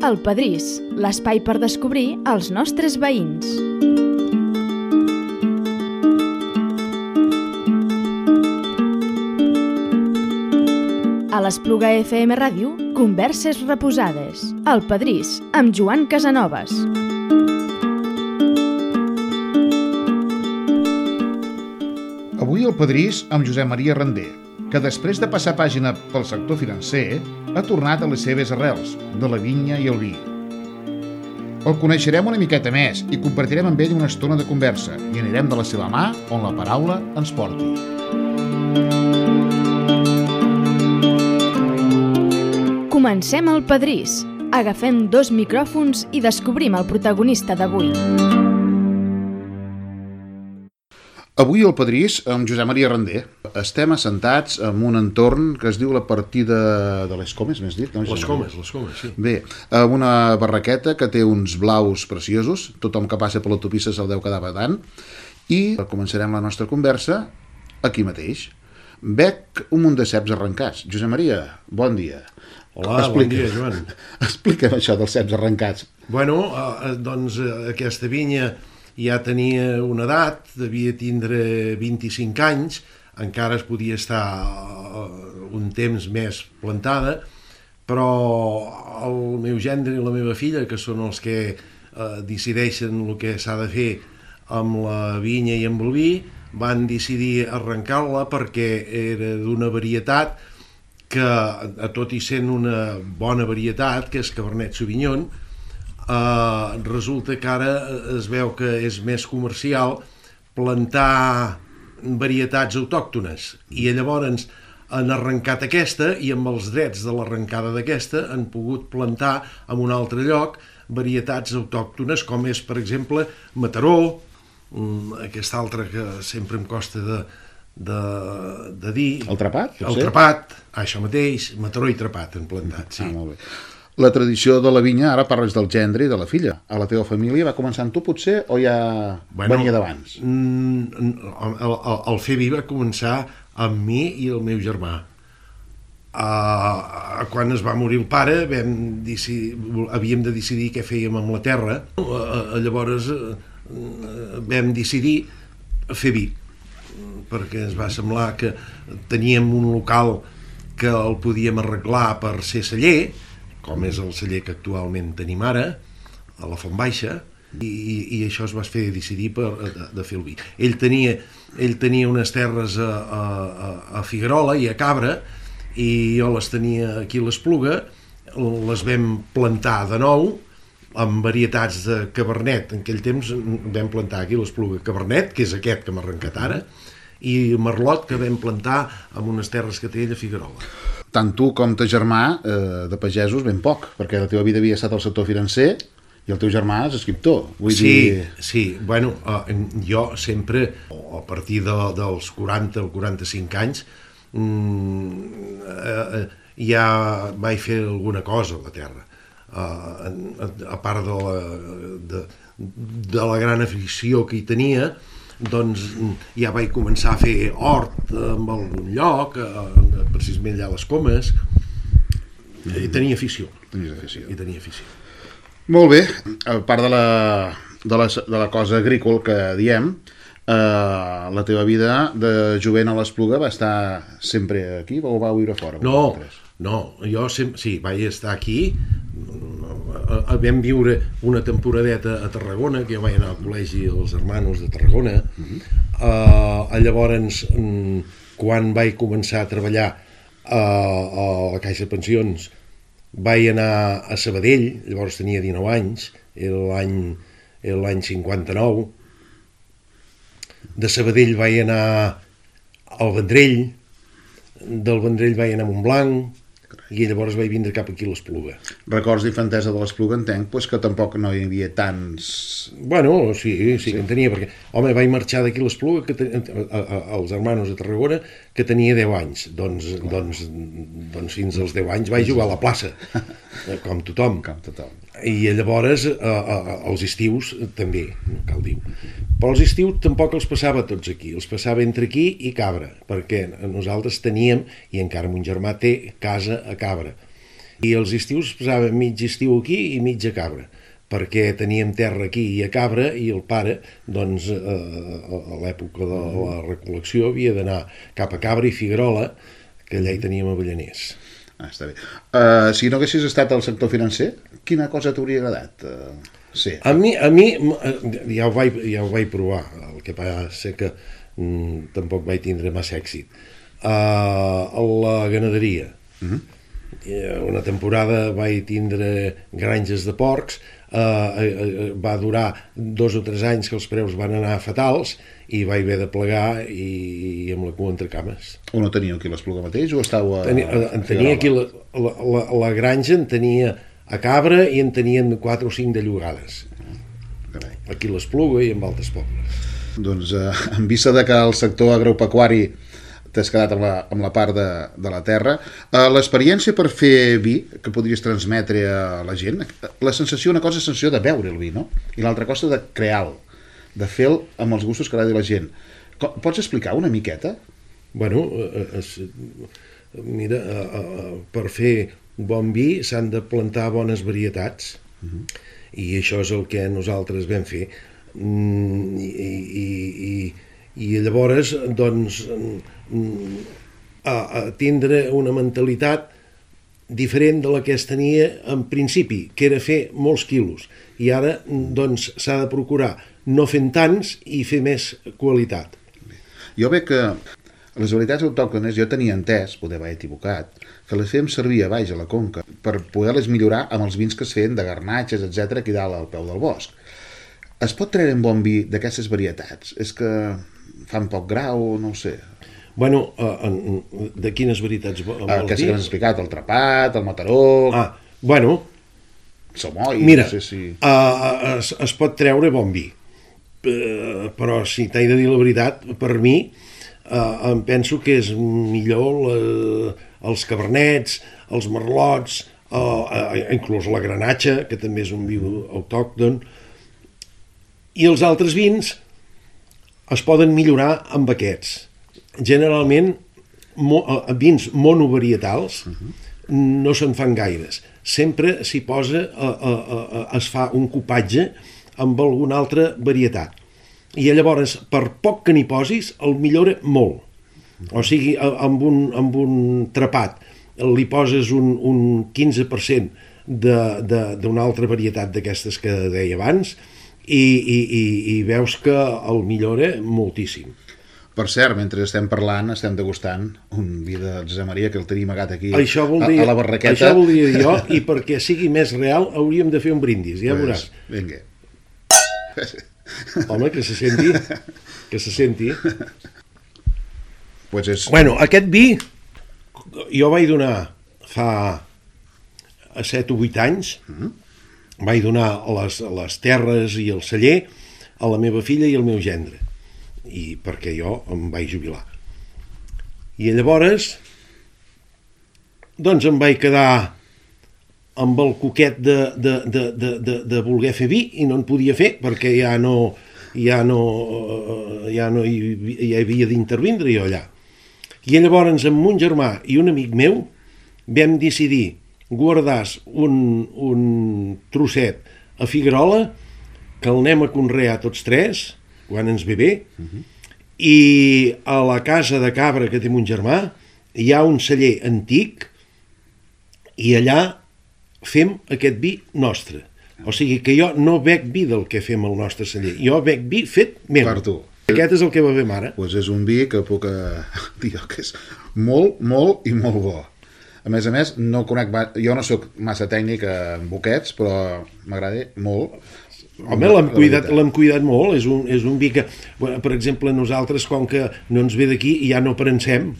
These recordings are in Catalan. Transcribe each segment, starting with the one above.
El Pedrís, l'espai per descobrir els nostres veïns. A l'Espluga FM Ràdio, converses reposades. El Pedrís, amb Joan Casanovas. Avui el Pedrís amb Josep Maria Render, que després de passar pàgina pel sector financer, ha tornat a les seves arrels, de la vinya i el vi. El coneixerem una miqueta més i compartirem amb ell una estona de conversa i anirem de la seva mà on la paraula ens porti. Comencem el Pedrís. Agafem 2 micròfons i descobrim el protagonista d'avui. Avui el Pedrís amb Josep Maria Render. Estem assentats en un entorn que es diu la partida de les Comes, m'has dit? Les Comes, sí. Bé, amb una barraqueta que té uns blaus preciosos, tothom que passa per l'autopista se'l deu quedar badant, i començarem la nostra conversa aquí mateix. Veig un munt de ceps arrencats. Josep Maria, bon dia. Hola, bon dia, Joan. Explica'm això dels ceps arrencats. Bueno, doncs aquesta vinya ja tenia una edat, devia tindre 25 anys, encara es podia estar un temps més plantada, però el meu gendre i la meva filla, que són els que decideixen el que s'ha de fer amb la vinya i amb el vi, van decidir arrencar-la perquè era d'una varietat que, tot i sent una bona varietat, que és Cabernet Sauvignon, resulta que ara es veu que és més comercial plantar varietats autòctones, i llavors han arrencat aquesta, i amb els drets de l'arrencada d'aquesta han pogut plantar en un altre lloc varietats autòctones, com és, per exemple, Mataró, aquesta altra que sempre em costa de dir. El Trepat? El Trepat, això mateix, Mataró i Trepat han plantat, sí. Molt bé. La tradició de la vinya, ara parles del gendre i de la filla. A la teva família va començar amb tu, potser, o ja venia d'abans? El fer vi va començar amb mi i el meu germà. Quan es va morir el pare, havíem de decidir què fèiem amb la terra. Llavors vam decidir fer vi, perquè ens va semblar que teníem un local que el podíem arreglar per ser celler, com és el celler que actualment tenim ara, a la Font Baixa, i això es va fer decidir de fer el vi. Ell tenia unes terres a Figuerola i a Cabra, i jo les tenia aquí a l'Espluga, les vam plantar de nou, amb varietats de Cabernet. En aquell temps vam plantar aquí a l'Espluga Cabernet, que és aquest que m'ha arrencat ara, i Merlot, que vam plantar en unes terres que té ell a Figuerola. Tant tu com ta germà, de pagesos, ben poc, perquè la teva vida havia estat al sector financer i el teu germà és escriptor. Sí, bueno, jo sempre, a partir dels 40 o 45 anys, ja vaig fer alguna cosa a la terra. A part de la gran afició que hi tenia, doncs ja vaig començar a fer hort en algun lloc, precisament allà a les Comes, i tenia afició. Molt bé, a part de la cosa agrícola que diem, la teva vida de jovent a l'Espluga va estar sempre aquí o va viure fora? No, jo sí, vaig estar aquí. Vam viure una temporadeta a Tarragona, que jo vaig anar al col·legi dels Hermanos de Tarragona. Llavors, quan vaig començar a treballar a la Caixa de Pensions, vaig anar a Sabadell, llavors tenia 19 anys, era l'any 59. De Sabadell vaig anar al Vendrell, del Vendrell vaig anar a Montblanc, i llavors vaig vindre cap aquí a l'Espluga. Records d'infantesa de l'Espluga, entenc, que tampoc no hi havia tants... Bueno, sí que en tenia, perquè, home, vaig marxar d'aquí a l'Espluga, als Hermanos de Tarragona, que tenia 10 anys. Doncs fins als 10 anys vaig jugar a la plaça, com tothom. I llavors, els estius també, cal dir. Però els estius tampoc els passava tots aquí, els passava entre aquí i Cabra, perquè nosaltres teníem, i encara mon germà té, casa a Cabra. I els estius passava mig estiu aquí i mig a Cabra, perquè teníem terra aquí i a Cabra, i el pare, doncs, a l'època de la recol·lecció havia d'anar cap a Cabra i Figuerola, que allà hi teníem avellaners. Està bé. Si no haguessis estat al sector financer, quina cosa t'hauria agradat ser? A mi ja ho vaig provar, el que passa que tampoc vaig tindre massa èxit. A la ganaderia. Una temporada vaig tindre granges de porcs, va durar 2 o 3 anys que els preus van anar fatals i vaig haver de plegar i amb la cua entre cames. O no teníeu aquí l'Espluga mateix o estàveu tenia aquí la granja, en tenia a Cabra i en tenien 4 o 5 de llogades. Aquí l'Espluga i en altres pobles. Doncs en vista de que el sector agropecuari t'has quedat amb la part de la terra, l'experiència per fer vi que podries transmetre a la gent, la sensació, una cosa és la sensació de beure el vi, no? I l'altra cosa de crear-lo, de fer-lo amb els gustos que agradi a la gent. Pots explicar una miqueta? Bueno, mira, per fer bon vi s'han de plantar bones varietats, i això és el que nosaltres vam fer. I llavors, doncs, tindre una mentalitat diferent de la que es tenia en principi, que era fer molts quilos, i ara doncs s'ha de procurar no fent tants i fer més qualitat. Jo veig que les varietats autòctones, jo tenia entès, poder haver equivocat, que les fèiem servir a baix a la conca per poder-les millorar amb els vins que es feien de garnatges, etc., aquí dalt al peu del bosc. Es pot treure un bon vi d'aquestes varietats? És que fan poc grau, no ho sé. Bueno, de quines varietats vols dir? Aquestes que m'has explicat, el Trepat, el Mataró... Bueno... Samoi, mira, no sé si... es pot treure bon vi, però si t'he de dir la veritat, per mi em penso que és millor els cabernets, els merlots, inclús la granatxa, que també és un vi autòcton, i els altres vins es poden millorar amb aquests. Generalment, vins monovarietals no se'n fan gaires. Sempre s'hi posa, es fa un cupatge amb alguna altra varietat. I llavors, per poc que n'hi posis, el millora molt. O sigui, amb un trepat li poses un 15% d'una altra varietat d'aquestes que deia abans i veus que el millora moltíssim. Per cert, mentre estem parlant, estem degustant un vi de Josep Maria que el tenim amagat aquí a la barraqueta. Això voldria dir jo, i perquè sigui més real hauríem de fer un brindis, ja veuràs. Vinga. Home, que se senti. Que se senti. Pues és... Bueno, aquest vi jo vaig donar fa 7 o 8 anys, vaig donar les terres i el celler a la meva filla i al meu gendre, i perquè jo em vaig jubilar. I llavors doncs em vaig quedar amb el coquet de voler fer vi i no en podia fer perquè ja hi havia d'intervindre jo allà. I llavors amb un germà i un amic meu vam decidir guardar un trosset a Figuerola que el anem a conrear tots tres quan ens ve bé, i a la casa de Cabra que té mon germà hi ha un celler antic i allà fem aquest vi nostre. O sigui que jo no bec vi del que fem al nostre celler, jo bec vi fet meu. Per tu. Aquest és el que bevem ara. Pues és un vi que puc dir que és molt, molt i molt bo. A més, no conec, jo no sóc massa tècnic en boquets, però m'agrada molt. Home, l'hem cuidat molt, és un vi que, per exemple, nosaltres, com que no ens ve d'aquí, ja no prensem.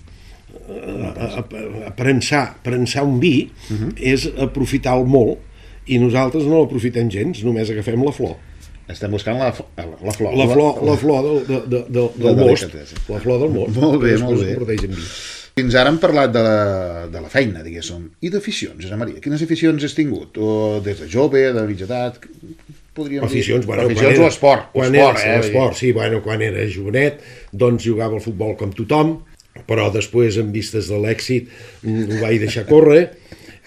Prensar un vi és aprofitar-lo molt, i nosaltres no l'aprofitem gens, només agafem la flor. Estem buscant la flor. La flor del most. La flor del most. Molt bé, molt bé. Fins ara hem parlat de la feina, diguéssim, i d'aficions, Josep Maria. Quines aficions has tingut? O des de jove, de mitja edat... Aficions o esport. Esport, sí, quan era jovenet, doncs jugava al futbol com tothom, però després, en vistes de l'èxit, ho vaig deixar córrer,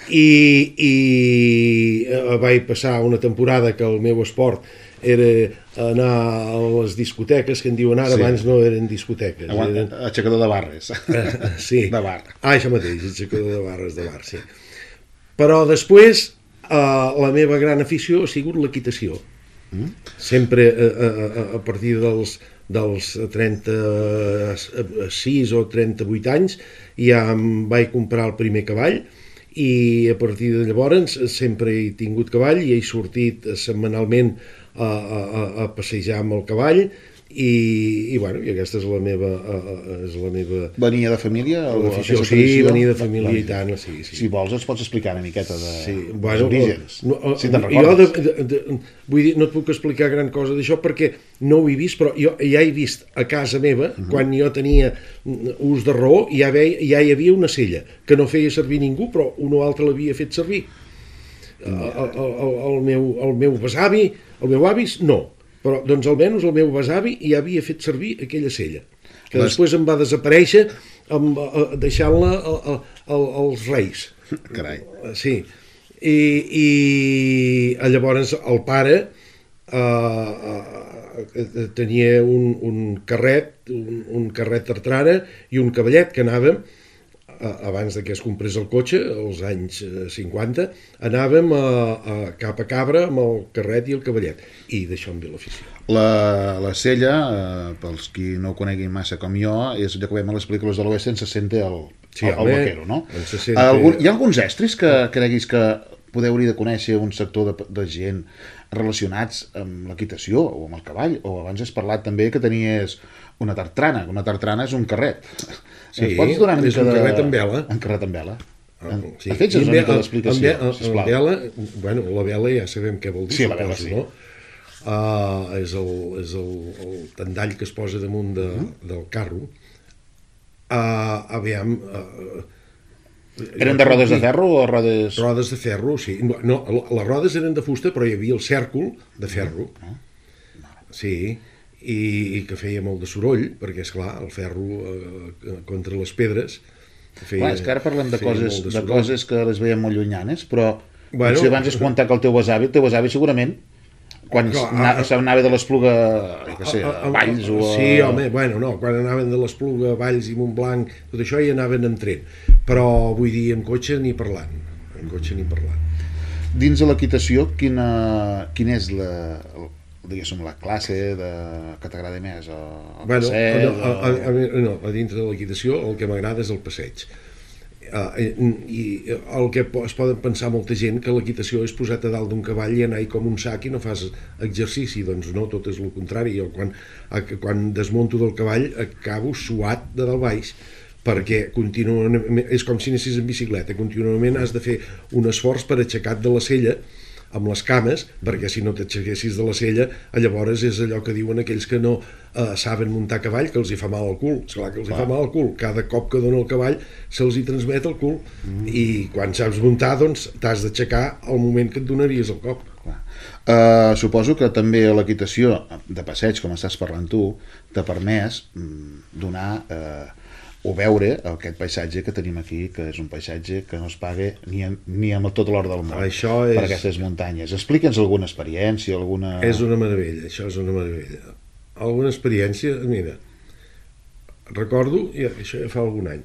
i vaig passar una temporada que el meu esport era anar a les discoteques, que en diuen ara, abans no eren discoteques. Aixecador de barres. Sí. De bar. Això mateix, aixecador de barres de bar, sí. Però després la meva gran afició ha sigut l'equitació. Sempre a partir dels 36 o 38 anys ja em vaig comprar el primer cavall i a partir de llavors sempre he tingut cavall i he sortit setmanalment a passejar amb el cavall i aquesta és la meva Venia de família? L'afició, sí, venia de família i tant, sí. Si vols ens pots explicar una miqueta dels orígens. Si te'n recordes. Vull dir, no et puc explicar gran cosa d'això perquè no ho he vist, però jo ja he vist a casa meva, quan jo tenia ús de raó, ja hi havia una sella que no feia servir ningú, però un o altre l'havia fet servir. El meu besavi, el meu avi, no. Però, doncs, almenys el meu besavi ja havia fet servir aquella sella, que després em va desaparèixer deixant-la als reis. Carai. Sí. I llavors el pare tenia un carret tartrana i un cavallet que anàvem, abans que es comprés el cotxe, als anys 50, anàvem cap a Cabra amb el carret i el cavallet, i d'això em ve l'afició. La sella, pels qui no ho coneguin massa com jo, és allò que veiem a les pel·lícules de l'oest, se sente el vaquero, no? Hi ha alguns estris que creguis que hauria de conèixer un sector de gent relacionats amb l'equitació o amb el cavall? O abans has parlat també que tenies una tartrana, que una tartrana és un carret. Sí, és un carret amb vela. Un carret amb vela. Sí. Fes una mica d'explicació, sisplau. La vela ja sabem què vol dir. Sí, la vela sí. És el tendall que es posa damunt del carro. Aviam... Eren de rodes de ferro o rodes... Rodes de ferro, sí. No, les rodes eren de fusta, però hi havia el cèrcol de ferro. Sí, i que feia molt de soroll, perquè, esclar, el ferro contra les pedres... Clar, és que ara parlem de coses que les veiem molt llunyanes, però si abans has comentat que el teu besavi segurament, quan anava de l'Espluga a Valls o a... Sí, home, quan anaven de l'Espluga a Valls i Montblanc, tot això hi anaven en tren, però vull dir, en cotxe ni parlant. Dins de l'equitació, quina és la classe que t'agrada més? El passeig? No, a dintre de l'equitació el que m'agrada és el passeig. I el que es poden pensar molta gent que l'equitació és posar-te a dalt d'un cavall i anar-hi com un sac i no fas exercici, doncs no, tot és el contrari. Jo quan desmunto del cavall acabo suat de dalt baix, perquè contínuament és com si anessis en bicicleta, contínuament has de fer un esforç per aixecar-te de la sella amb les cames, perquè si no t'aixequessis de la sella, llavors és allò que diuen aquells que no saben muntar cavall, que els hi fa mal al cul. Esclar que els hi fa mal al cul. Cada cop que dona el cavall se'ls hi transmet el cul. I quan saps muntar, doncs, t'has d'aixecar al moment que et donaries el cop. Suposo que també l'equitació de passeig, com estàs parlant tu, t'ha permès donar... o veure aquest paisatge que tenim aquí, que és un paisatge que no es paga ni amb tot l'or del món per aquestes muntanyes. Explica'ns alguna experiència, alguna... És una meravella, això és una meravella. Alguna experiència, mira, recordo, això ja fa algun any,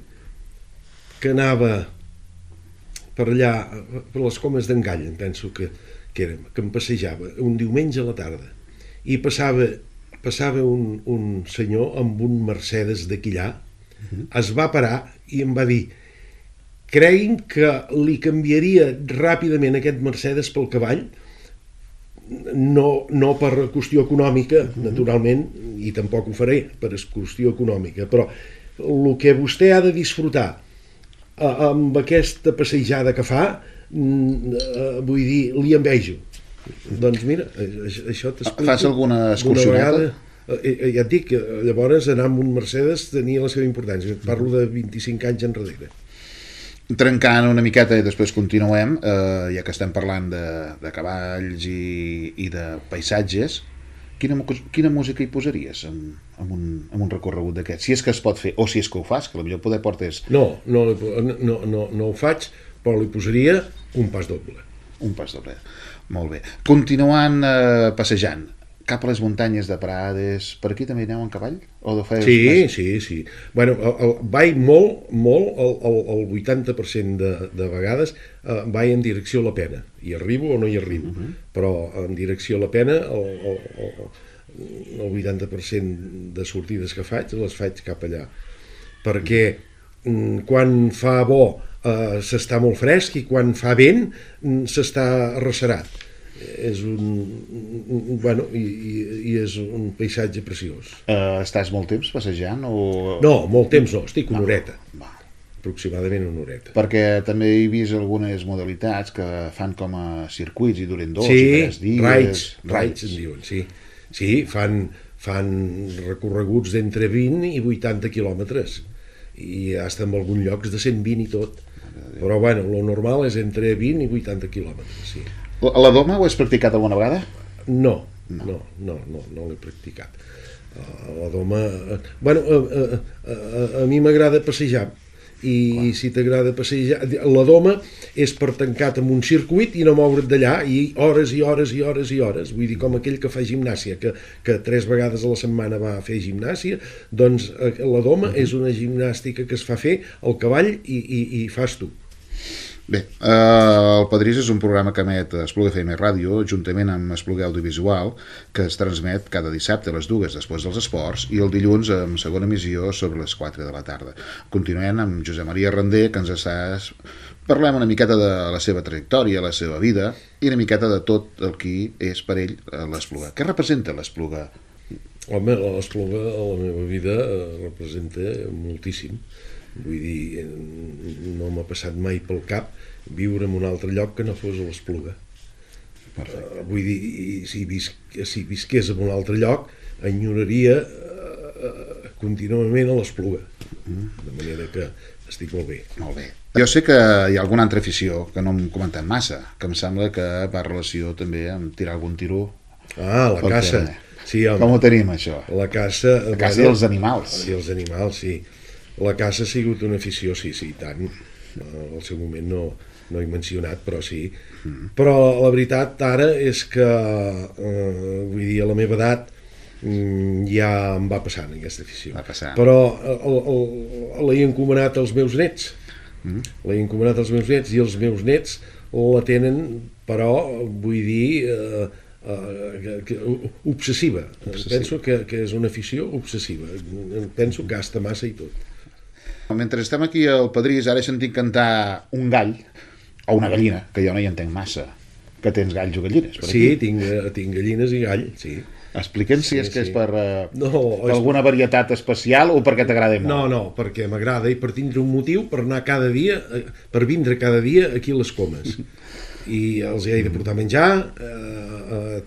que anava per allà, per les Comes d'en Gall, em penso que em passejava un diumenge a la tarda, i passava un senyor amb un Mercedes de quillar. Es va parar i em va dir: cregui'm que li canviaria ràpidament aquest Mercedes pel cavall, no per qüestió econòmica, naturalment, i tampoc ho faré per qüestió econòmica, però el que vostè ha de disfrutar amb aquesta passejada que fa, vull dir, li envejo. Doncs mira, això t'explico. Fas alguna excursioneta? Ja et dic, llavors anar amb un Mercedes tenia la seva importància. Parlo de 25 anys enrere. Trencant una miqueta i després continuem, ja que estem parlant de cavalls i de paisatges, quina música hi posaries en un recorregut d'aquest? Si és que es pot fer, o si és que ho fas, que potser poder portes... No ho faig, però li posaria un pas doble. Un pas doble. Molt bé. Continuant passejant cap a les muntanyes de Prades, per aquí també aneu en cavall? O Sí. Bueno, vaig molt, el 80% de vegades vaig en direcció a la Pena. Hi arribo o no hi arribo, però en direcció a la Pena el 80% de sortides que faig les faig cap allà. Perquè quan fa bo s'està molt fresc i quan fa vent s'està arrecerat. És és un paisatge preciós. Estàs molt temps passejant? No, molt temps no, estic una horeta. Aproximadament una horeta. Perquè també he vist algunes modalitats que fan com a circuits i duren 2 i 3 dies. Raids en diuen, sí. Sí, fan recorreguts d'entre 20 i 80 quilòmetres i hasta en alguns llocs de 120 i tot. Però bueno, lo normal és entre 20 i 80 quilòmetres, sí. La doma ho has practicat alguna vegada? No l'he practicat. La doma... Bueno, a mi m'agrada passejar i si t'agrada passejar... La doma és per tancat amb un circuit i no moure't d'allà i hores i hores i hores i hores. Vull dir, com aquell que fa gimnàsia, que 3 vegades a la setmana va a fer gimnàsia, doncs la doma és una gimnàstica que es fa fer al cavall i fas tu. Bé, el Padrís és un programa que emet Espluga FM Ràdio juntament amb Espluga Audiovisual, que es transmet cada dissabte a les 2 després dels esports i el dilluns amb segona emissió sobre les 4 de la tarda. Continuem amb Josep Maria Randé, que ens parlem una miqueta de la seva trajectòria, la seva vida i una miqueta de tot el que és per ell l'Espluga. Què representa l'Espluga? Home, l'Espluga a la meva vida representa moltíssim. Vull dir, no m'ha passat mai pel cap viure en un altre lloc que no fos a l'Espluga. Vull dir, si visqués en un altre lloc, enyoraria contínuament a l'Espluga. De manera que estic molt bé. Molt bé. Jo sé que hi ha alguna altra afició que no hem comentat massa, que em sembla que va en relació també amb tirar algun tiro. La caça. Sí, home. Com ho tenim, això? La caça i els animals. I els animals, sí. La caça ha sigut una afició, sí, tant. Al seu moment no he mencionat, però sí. Però la veritat ara és que, vull dir, a la meva edat ja em va passant aquesta afició. Però l'he encomanat als meus nets. L'he encomanat als meus nets i els meus nets la tenen, però, vull dir, obsessiva. Penso que és una afició obsessiva. Penso que gasta massa i tot. Mentre estem aquí al Padrís, ara he sentit cantar un gall o una gallina, que jo no hi entenc massa. Que tens galls o gallines per aquí? Sí, tinc gallines i gall, sí. Explica'ns si és que és per alguna varietat especial o perquè t'agrada molt. No, perquè m'agrada i per tindre un motiu per anar cada dia, per vindre cada dia aquí a les Comes. I els he de portar menjar,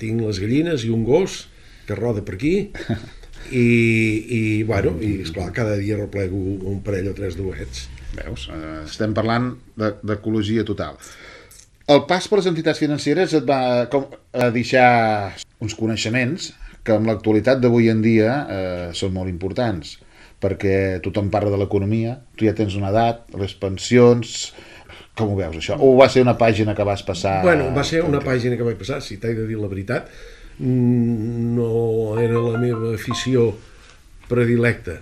tinc les gallines i un gos que roda per aquí. I esclar, cada dia replego un parell o 3 d'ouets. Veus? Estem parlant d'ecologia total. El pas per les entitats financeres et va deixar uns coneixements que en l'actualitat d'avui en dia són molt importants, perquè tothom parla de l'economia, tu ja tens una edat, les pensions... Com ho veus, això? O va ser una pàgina que vas passar... Bueno, va ser una pàgina que vaig passar, si t'he de dir la veritat. No era la meva afició predilecta,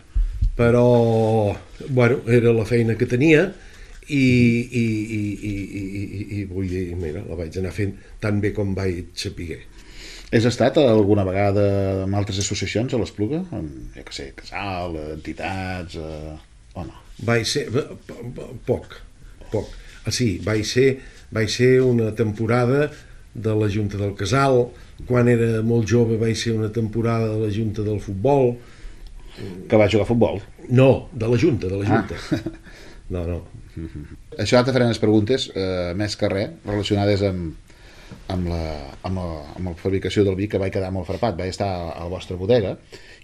però era la feina que tenia i vull dir, mira, la vaig anar fent tan bé com vaig saber. Has estat alguna vegada amb altres associacions a l'Espluga? Jo què sé, casal, entitats... o no? Vaig ser... poc. Sí, vaig ser una temporada de la Junta del Casal. Quan era molt jove vaig ser una temporada de la Junta del Futbol. Que va jugar a futbol? No, de la Junta. No. Això te faré unes preguntes, més que res, relacionades amb la fabricació del vi, que vaig quedar molt frapat. Vaig estar a la vostra bodega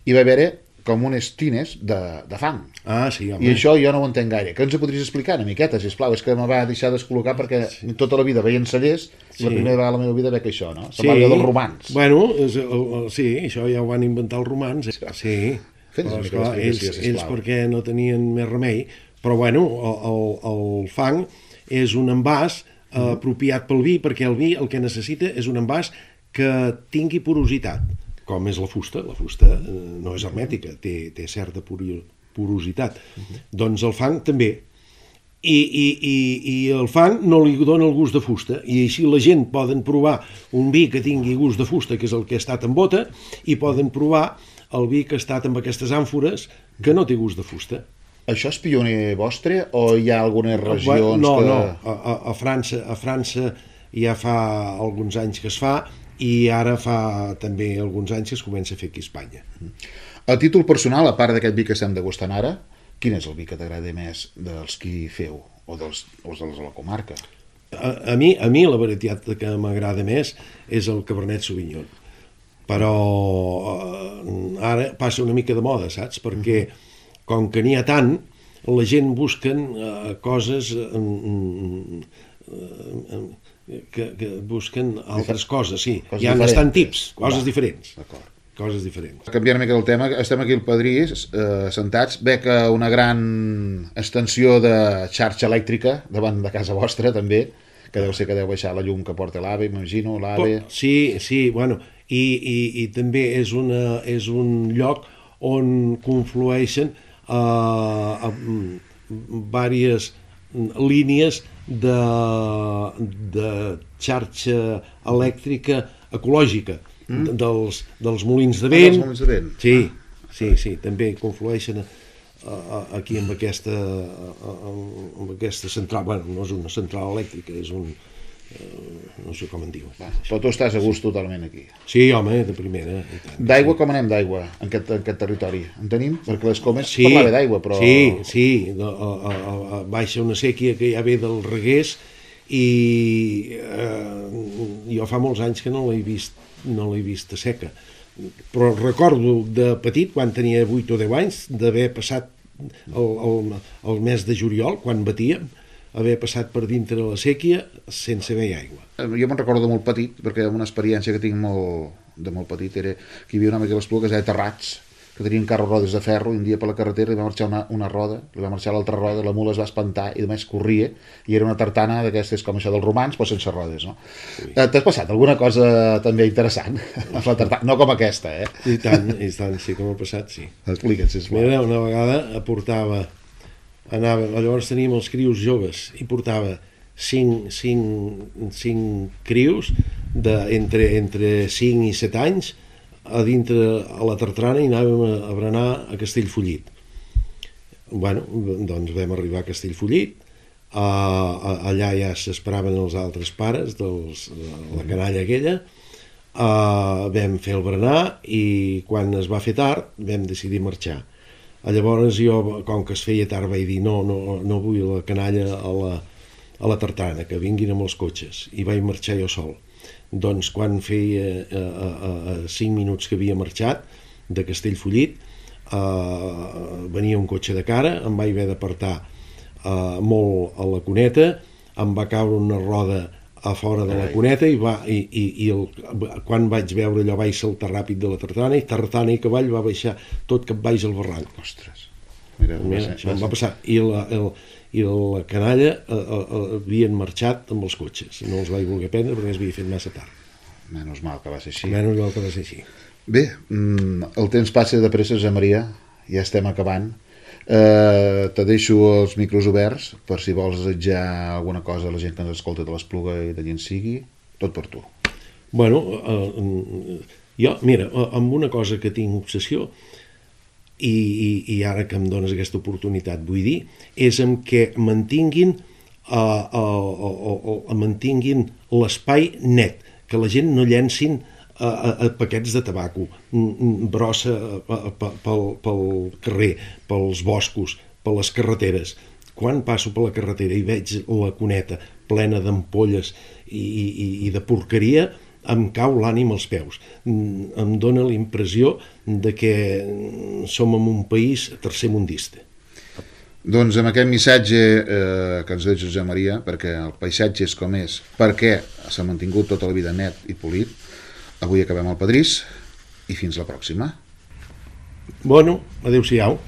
i va haver-hi com unes tines de fang. Sí, home. I això jo no ho entenc gaire. Que ens ho podries explicar una miqueta, sisplau? És que me va deixar descol·locar perquè tota la vida veien cellers i la primera vegada a la meva vida veig això, no? Se'n va dir dels romans. Bueno, sí, això ja ho van inventar els romans. Sí, però ells perquè no tenien més remei. Però bueno, el fang és un envàs apropiat pel vi, perquè el vi el que necessita és un envàs que tingui porositat, com és la fusta. La fusta no és hermètica, té certa porositat. Doncs el fang també. I el fang no li dona el gust de fusta, i així la gent poden provar un vi que tingui gust de fusta, que és el que ha estat en bota, i poden provar el vi que ha estat amb aquestes àmfores que no té gust de fusta. Això és pioner vostre o hi ha algunes regions no, que... No, a França ja fa alguns anys que es fa, i ara fa també alguns anys que es comença a fer aquí a Espanya. A títol personal, a part d'aquest vi que estem degustant ara, quin és el vi que t'agrada més dels que feu o dels de la comarca? A mi la varietat que m'agrada més és el Cabernet Sauvignon, però ara passa una mica de moda, saps? Perquè com que n'hi ha tant, la gent busquen coses que busquen altres coses, sí. Hi ha bastant tips, coses diferents. D'acord. Coses diferents. Canviant una mica del tema, estem aquí al Padrís, sentats, veig una gran extensió de xarxa elèctrica davant de casa vostra, també, que deu ser que deu baixar la llum que porta l'AVE, m'imagino, l'AVE... Sí, bueno, i també és un lloc on conflueixen diverses línies de xarxa elèctrica ecològica, dels molins de vent. Dels molins de vent. Sí, també conflueixen aquí amb aquesta central. Bueno, no és una central elèctrica, és un... no sé com en diu. Però tu estàs a gust totalment aquí. Sí, home, de primera. D'aigua, com anem d'aigua en aquest territori? En tenim? Perquè les Comes parlava d'aigua, però... Sí, baixa una sèquia que ja ve del Reguers i jo fa molts anys que no l'he vist a seca, però recordo de petit, quan tenia 8 o 10 anys, d'haver passat el mes de juliol, quan batíem, haver passat per dintre la sèquia sense haver aigua. Jo me'n recordo de molt petit, perquè una experiència que tinc de molt petit era que hi havia una mica a l'Espluga que es deia Terrats, que tenien carros rodes de ferro, i un dia per la carretera li va marxar una roda, li va marxar l'altra roda, la mula es va espantar i només corria, i era una tartana d'aquestes com això dels romans, però sense rodes, no? T'has passat alguna cosa també interessant amb la tartana? No com aquesta, eh? I tant, sí que m'ha passat, sí. Explica't, sisplau. Mira, una vegada llavors teníem els crios joves, i portava 5 crios entre 5 i 7 anys a la tartana, i anàvem a berenar a Castellfollit. Bueno, doncs vam arribar a Castellfollit, allà ja s'esperaven els altres pares de la canalla aquella, vam fer el berenar, i quan es va fer tard vam decidir marxar. Llavors jo, com que es feia tard, vaig dir no vull la canalla a la tartana, que vinguin amb els cotxes, i vaig marxar jo sol. Doncs quan feia 5 minuts que havia marxat de Castellfollit, venia un cotxe de cara, em vaig haver d'apartar molt a la cuneta, em va caure una roda a fora de la cuneta, i quan vaig veure allò vaig saltar ràpid de la tartana i cavall va baixar tot cap baix al barranc. Ostres, mira, això em va passar. I la canalla havien marxat amb els cotxes, no els vaig voler prendre perquè es havia fet massa tard. Menys mal que va ser així. Bé, el temps passa de pressa, Josep Maria, ja estem acabant. Te deixo els micros oberts per si vols desitjar alguna cosa a la gent que ens escolta de l'Espluga i de gent sigui, tot per tu. Bueno, jo, mira, amb una cosa que tinc obsessió, i ara que em dones aquesta oportunitat vull dir, és en què mantinguin l'espai net, que la gent no llencin paquets de tabaco, brossa pel carrer, pels boscos, per les carreteres. Quan passo per la carretera i veig la cuneta plena d'ampolles i de porqueria, em cau l'ànim als peus. Em dóna la impressió de que som en un país tercermundista. Doncs amb aquest missatge que ens deixa Josep Maria, perquè el paisatge és com és, perquè s'ha mantingut tota la vida net i polit, avui acabem el Padrís i fins la pròxima. Bueno, adéu-siau.